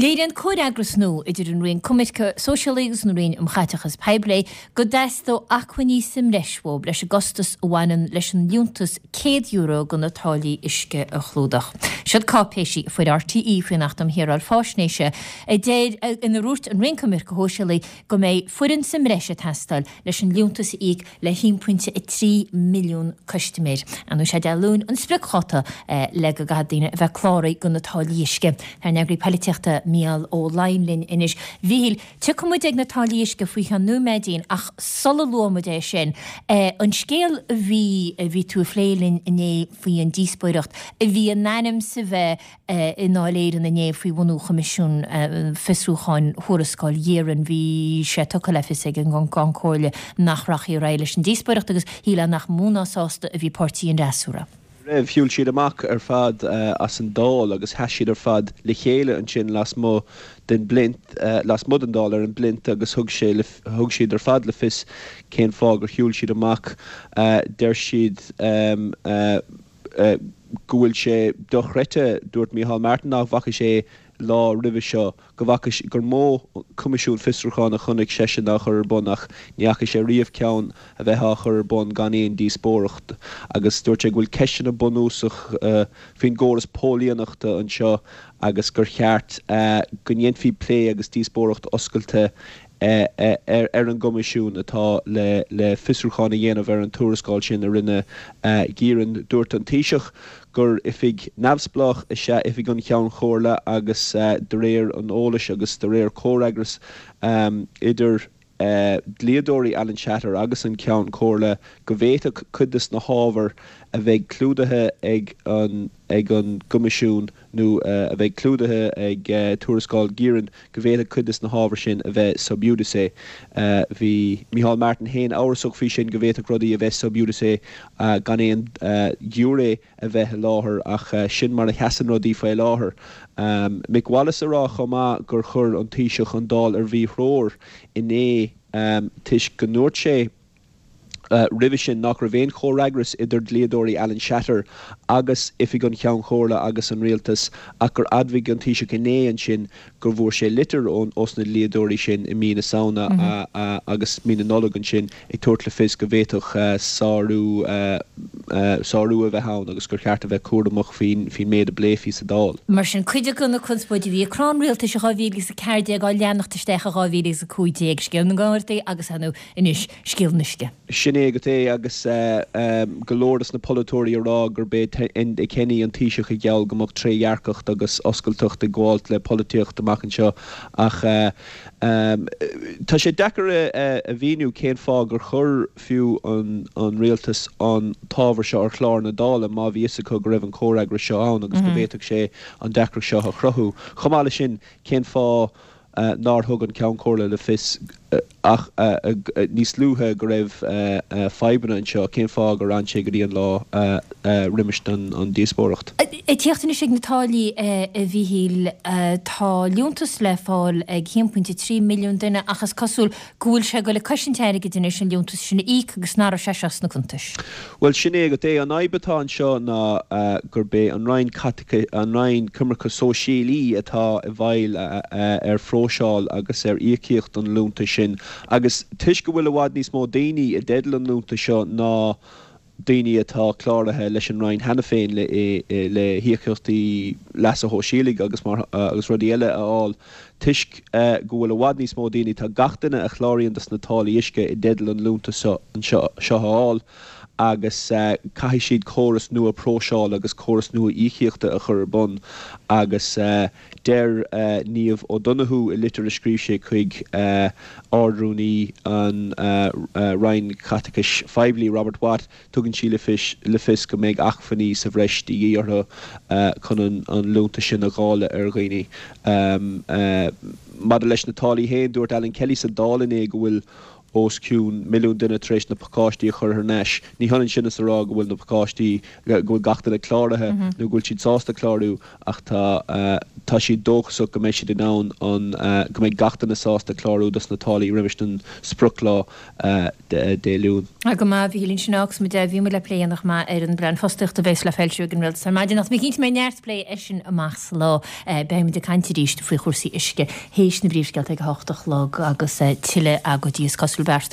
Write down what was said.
Léiríonn comhfhreagras nua idir an Roinn Coimirce Sóisialaí agus an Roinn um Chaiteachas Poiblí go dteastódh acmhainní sa mbreis uathu leis an gcostas a bhaineann leis an liúntas €100 do na táillí uisce a chlúdach. Siod cáipéisí a fuair RTÉ faoin Acht um Shaoráil Faisnéise a deir inar dhúirt an Roinn Coimirce Shóisialaí go mbeidh foireann sa mbreis ag teastáil leis an liúntas a íoc le 1.3 milliún custaiméir. Ar ndóigh, sé Dé Luain an spriocdháta le go gcaithfidh daoine a bheith cláraithe do na táillí uisce. Tá ár n-eagraí polaitíochta Mícheál Ó Laighin linn anois. A Mhíchíl, tiocfaidh muid ag na táillí uisce faoi cheann nóiméidín ach sula luafaidh muid é sin, an scéal a bhí, a bhí tú a phlé linn inné faoi an díospóireacht a bhí in ainm 's a bheith i nDáil Éireann inné faoi bhunú Choimisiún Fiosrúcháin Thuarascáil Ghearan, bhí sé tugtha le fios ag an gCeann Comhairle nach rachfaí ar aghaidh leis an díospóireacht agus shílfeá nach mó ná sásta a bhí páirtí an fhreasúra. raibh. Shiúil siad amach ar fad as an Dáil agus sheas siad ar fad le chéile ansin lasmuigh den bplint, lasmuigh den Dáil ar an bplint agus thug sé, thug siad ar fad le fios cén fáth gur shiúil siad amach. Deir siad. go bhfuil sé dochreidte, dúirt Micheál Martin nach bhfaca sé lá roimhe seo, go bhfaca, gur mó coimisiún fiosrúcháin a chonaic seisean á chur ar bun ach ní fhaca sé riamh ceann a bheith á chur ar bun gan aon díospóireacht agus dúirt sé go bhfuil ceisteanna bunúsach faoin gcóras póilíneachta anseo agus gur cheart go ndéanfaí plé agus díospóireacht oscailte ar an gCoimisiún atá le fiosrúchán a dhéanamh ar an tuarascáil sin a rinne Geiran. Dúirt an Taoiseach gur oifig neamhspleách is ea Oifig an Cheann Chomhairle agus de réir an eolais agus de réir comhfhreagras idir dlíodóirí Alan Shatter agus an Ceann Comhairle go bhféadfadh cuid de na hábhair a bheidh clúdaithe ag an ag an gCoimisiún nó a bheidh clúdaithe ag tuarascáil Geiran, go bhféadfadh cuid de na hábhair sin a bheith sub iudice. Bhí Micheál Martin féin amhrasach faoi sin, go bhféadfadh rudaí a bheith sub iudice gan aon ghiúiré a bheith i láthair, ach sin mar a sheasann rudaí faoi láthair. Mick Wallace a rá chomh maith gur chuir an Taoiseach an Dáil ar mhíthreoir inné toisc go ndúirt sé, roimhe sin nach raibh aon chomhfhreagras idir dlíodóirí Alan Shatter agus Oifig an Cheann Chomhairle agus an Rialtas ach gur admhaigh an Taoiseach inné ansin go bhfuair sé litir ós na dlíodóirí sin i mí na Samhna agus mí na Nollag ansin ag tabhairt le fios go bhféadfadh sárú sárú a bheith ann agus gur cheart a bheith cúramach faoin méid a bpléifí sa Dáil. Mar sin, cuid de na conspóidí a bhí ag crá an rialtais i 2014 á leanacht isteach i 2015, scéal na nGardaí agus, ar ndóigh, Anois, scéal an uisce. Sin é agat é agus go leor dos na polaiteoirí ag rá gurb é Enda Kenny an Taoiseach a gheall go mbeadh trédhearcacht agus oscailteacht ag gabháilt le polaitíocht amach anseo ach tá sé deacair a mhíniú cén fáth gur chuir fiú an rialtas an t-ábhar seo ar chlár na Dála má bhí fhios acu go raibh an comhfhreagras seo ann agus go bhféadfadh sé an deacracht seo a chruthú. Chomh maith leis sin, cén fáth nár thug an Ceann Comhairle le fios ach níos luaithe go raibh fadhbanna anseo, cén fáth gur fhan sé go dtí an lá roimis an díospóireacht? Ag tíocht anois ag na táillí, a Mhíchíl, tá liúntas le fáil ag 1.3 milliún duine ach is cosúil go bhfuil sé ag dul ag cosaint airgid anois an liúntas sin a íoc agus nach raibh sé seo sna cuntais. Bhuel, sin é agat é. An fhadhb atá anseo ná gurb é an Roinn Caiteachais, an Roinn Coimirce Sóisialaí atá i bhfeighil ar phróiseáil agus ar íocaíocht an liúntais sin agus toisc go bhfuil i bhfad níos mó daoine i dteideal an liúntais seo ná daoine atá cláraithe leis an Roinn cheana féin le híocaíochtaí leasa shóisialaigh agus mar agus rudaí eile a fháil. Toisc go bhfuil i bhfad níos mó daoine, tá gach duine a chláraíonn dos na táillí uisce i dteideal an liúntas seo anseo seo a fháil agus caithfidh siad córas nua próiseála agus córas nua íocaíochta a chur ar bun agus Deir Niamh O'Donoghue i litir a scríobh sé chuig Ard-Rúnaí an Roinn Chaiteachais Phoiblí, Robert Watt, tugann sí le fios go mbeidh acmhainní sa bhreis de dhíth orthu chun an liúntas sin a dháileadh ar dhaoine. Maidir leis na táillí féin, dúirt Alan Kelly sa Dáil inné go bhfuil. os cionn 1,000,000 duine tar éis na pacáistí a chur thar n-ais. Ní hionann sin is a rá go bhfuil na pacáistí, go bhfuil gach duine cláraithe nó go bhfuil siad sásta clárú ach tá, tá siad dóchasach go mbeidh siad in ann an, go mbeidh gach duine sásta clárú dos na táillí roimis an sprioclá Dé Luain. Go maith, a Mhíchíl, ansin agus muid, bhí muid le plé a dhéanamh chomh maith ar an bplean fostaíochta a bheas le foilsiú ag an Rialtas ar maidin ach tá mé cinnte go mbeidh neart plé air sin amach sa lá. Beidh muid ag caint arís faoi chúrsaí uisce théis na bpríomhscéalta ag a hocht a chlog agus tuilleadh agóidí is cosúil beartaithe.